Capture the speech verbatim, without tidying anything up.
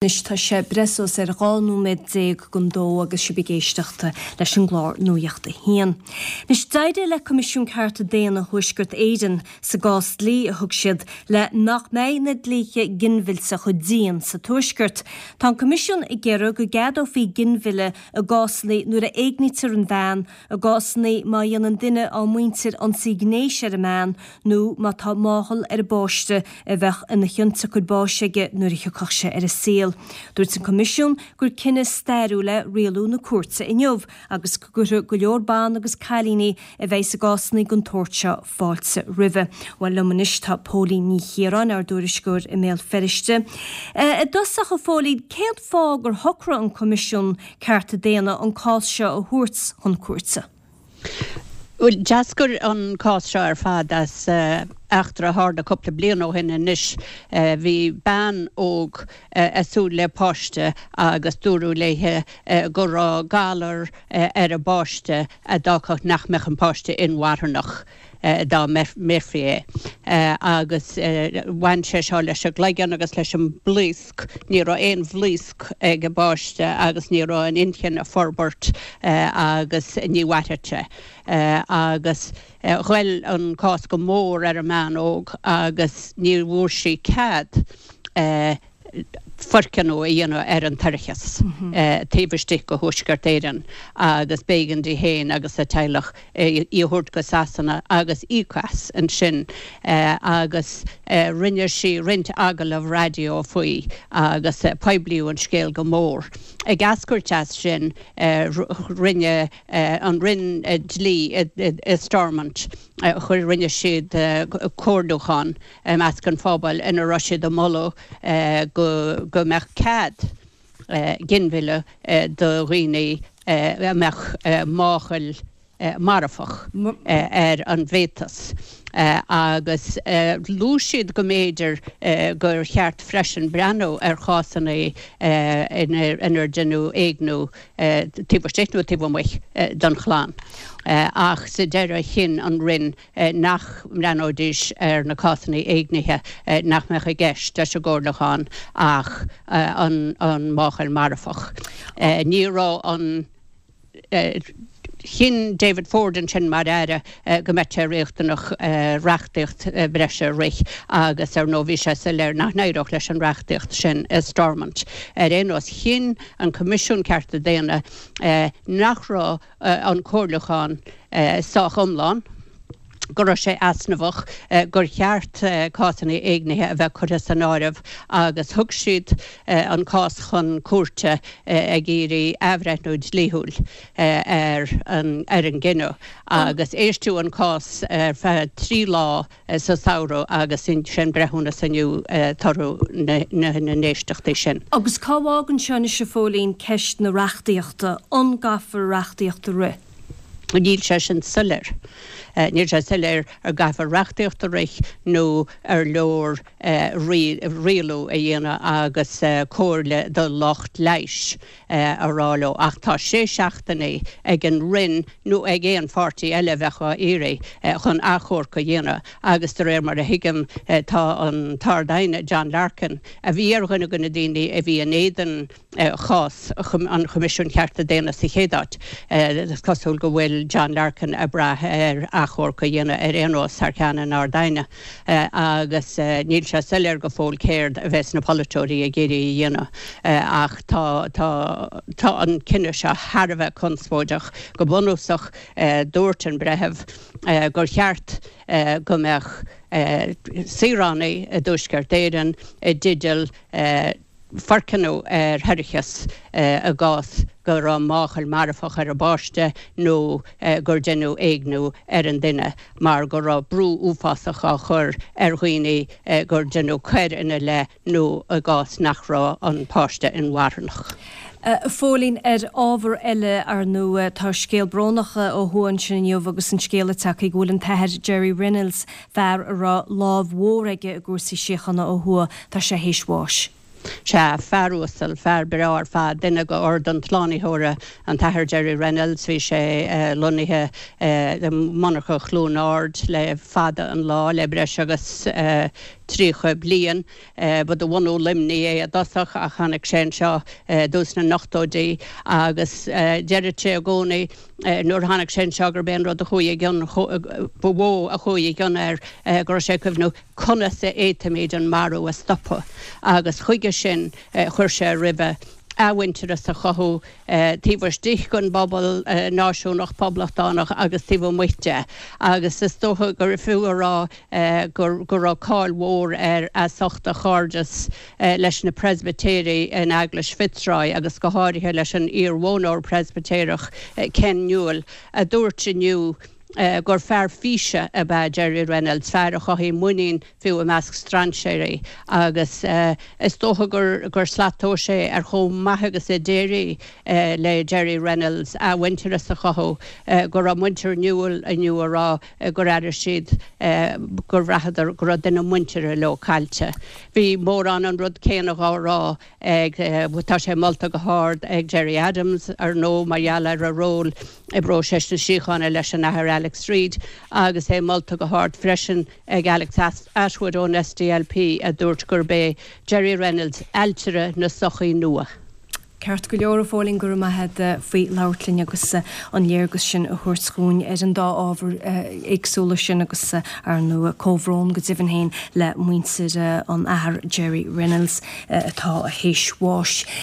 Anois tá sé breis is ar dhá nóiméad déag don dó agus sibh ag éisteacht leis an gclár Nuacht a hAon. Anois d'éirigh le Coimisiún Cearta Daonna Thuaisceart Éireann sa gcás dlí a thug siad le nach mbeidh na dlíthe ginmhillte chomh dian sa Tuaisceart. Tá an Coimisiún ag iarraidh go gceadófaí ginmhilleadh i gcásanna nuair a éignítear an bhean, i gcásanna má dhéanann duine dá muintir ionsaí gnéis ar an mbean nó má tá máchail ar an bpáiste a bheadh ina chionsiocair báis aige nuair a thiocfadh sé ar an saol. Dúirt an Coimisiún gur cinneadh stairiúil é rialú na cúirte inniu agus go gcuirfidh go leor ban agus cailíní a bheidh i gcásanna den tsórt seo fáilte roimhe. Bhuel liom anois tá Póilín Ní Chiaráin ár dtuairisceoir i mBéal Feirste. I dtosach a Phóilín, cén fáth gur shocraigh an Coimisiún Cearta Daonna an cás seo a thabhairt chun cúirte? Well, d'eascair an cás seo ar fad as eachtra a tharla cúpla bliain ó shin anois bhí bean óg ag súil le páiste agus dúradh léi go raibh galar ar an bpáiste a d'fhágfadh nach mbeadh an páiste inmharthanach dá mbeirfí é agus bhain sé seo leis an gcloigeann agus leis an mblaosc ní raibh aon bhlaosc ag an bpáiste agus ní raibh an inchinn ag forbairt agus ní mhairfeadh sé agus ghoill an cás go mór ar an mbean óg agus ní bhfuair sí cead foirceannadh a dhéanamh ar an toircheas taobh istigh de Thuaisceart Éireann agus b'éigean di féin agus a teaghlach í a thabhairt go Sasana agus íoc as ansin agus rinne sí roinnt agallamh raidió faoi agus poiblíodh an scéal go mór. Ag eascairt as sin rinne an Roinn Dlí i Stormont chuir rinne siad comhairliúchán i measc an phobail ina raibh siad ag moladh go go mbeadh cead ginmhilleadh do dhaoine a mbeadh máchail marfach ar an bhféatas. Agus luaigh siad go mb'fhéidir gur cheart freisin breathnú ar chásanna inar deineadh éigniú taobh istigh nó taobh amuigh den chlann. Ach sa deireadh chinn an Roinn nach mbreathnóidís ar na cásanna éignithe nach mbeadh i gceist leis an gcomhairliúchán ach an máchail marfach. Ní raibh an Chinn David Ford ansin mar aire go mbeadh sé riachtanach reachtaíocht breise a rith agus ar ndóigh bhí sé soiléir nach n-éireodh leis an reachtaíocht sin i Stormont. Ar aon nós chinn an Coimisiún Cearta Daonna nach raibh an comhairliúchán sách iomlán, go raibh sé easnamhach, gur cheart cásanna éignithe a bheith curtha san áireamh agus thug siad an cás chun cúirte ag iarraidh athbhreithniú dlíthiúil ar an ar an gcinneadh agus éisteadh an cás ar feadh trí lá sa samhradh agus sin breithiúnas inniu toradh na n-éisteachtaí sin. Agus cá bhfágann seo anois a Phóilín ceist na reachtaíochta? An gcaithfear reachtaíocht a rith? Níl sé sin soiléir. Níl sé soiléir an gcaithfear reachtaíocht a rith nó ar leor rialú a dhéanamh agus comhairle do lucht leighis a rá leo. Ach tá sé seachtainí ag an Roinn nó ag aon pháirtí eile a bheadh á iarraidh chun achomharc a dhéanamh agus de réir mar a thuigim tá an tArd-Aighne John Larkin, a bhí ar dhuine de na daoine a bhí in éadan chás an Choimisiúin Chearta Daonna sa chéad áit. Is cosúil go bhfuil John Larkin ag brath ar achomharc a dhéanamh ar aon nós thar ceann an Ard-Aighne agus níl sé soiléir go fóill céard a bheas na polaiteoirí ag iarraidh a dhéanamh ach tá tá tá an cinneadh seo thar a bheith conspóideach. Go bunúsach dúirt an breitheamh gur cheart go mbeadh saoránaigh i dTuaisceart Éireann i dteideal foirceannadh ar thoircheas i gcás go raibh máchail marfach ar an bpáiste nó gur deineadh éigniú ar an duine mar go raibh brú uafásach á chur ar dhaoine gur deineadh coir ina leith nó i gcás nach raibh an páiste inmharthanach. A Phóilín, ar ábhar eile, ar ndóigh, tá scéal brónach ó thuaidh ansin inniu agus an scéal ag teacht go bhfuil an tAthair Gerry Reynolds, fear a raibh lámh mhór aige i gcúrsaí síochána ó thuaidh, tá sé théis bháis. Sea, fear uasal, fear breá ar fad, duine de Ord an tSlánaitheora, an tAthair Gerry Reynolds. Bhí sé lonnaithe i monarcha Chluain Ard le fada an lá, le breis agus tríocha bliain. Ba de bhunadh Luimnigh é i dtosach ach tháinig sé anseo i dtús na n-ochtóidí agus deireadh sé i gcónaí nuair a tháinig sé anseo gurb é an rud a chuaigh i gcion, ba mhó a chuaigh i gcion air go raibh sé ag cuimhniú conas a fhéadfaimid an marú a stopadh agus chuige sin chuir sé roimhe athmhuintearas a chothú taobh istigh den bpobal náisiúnach poblachtánach agus taobh amuigh de agus is dócha gur fiú a rá go raibh cáil mhór air as ucht a chairdeas leis na Preispitéirigh in Eaglais Fitzroy agus go háirithe leis an iar-mhodhnóir Preispitéireach Ken Newell a dúirt inniu gur fear físe ab ea Gerry Reynolds, fear a chothaigh muinín fiú i measc strainséirí agus is dócha gur gur slat tomhais é ar chomh maith agus a d'éirigh le Gerry Reynolds athmhuintearas a chothú, go raibh muintir Newell inniu a rá gur airigh siad gur bhraitheadar go raibh duine muinteartha leo caillte. Bhí mórán an rud céanna dhá rá ag, tá sé molta go hard ag Gerry Adams, ar ndóigh, mar gheall ar a ról i bpróiseas na síochána leis an Athair Alex Reid agus é molta go hard freisin ag Alex Attwood ón SDLP a dúirt gurb é Gerry Reynolds ailtire na sochaí nua. Ceart go leor a Phóilín, go raibh maith agat faoi labhairt linn agus an léargas sin a thabhairt dhúinn ar an dá ábhar éagsúla sin agus ar ndóigh comhbhrón go deimhin féin le muintir an Athar Gerry Reynolds atá théis bháis.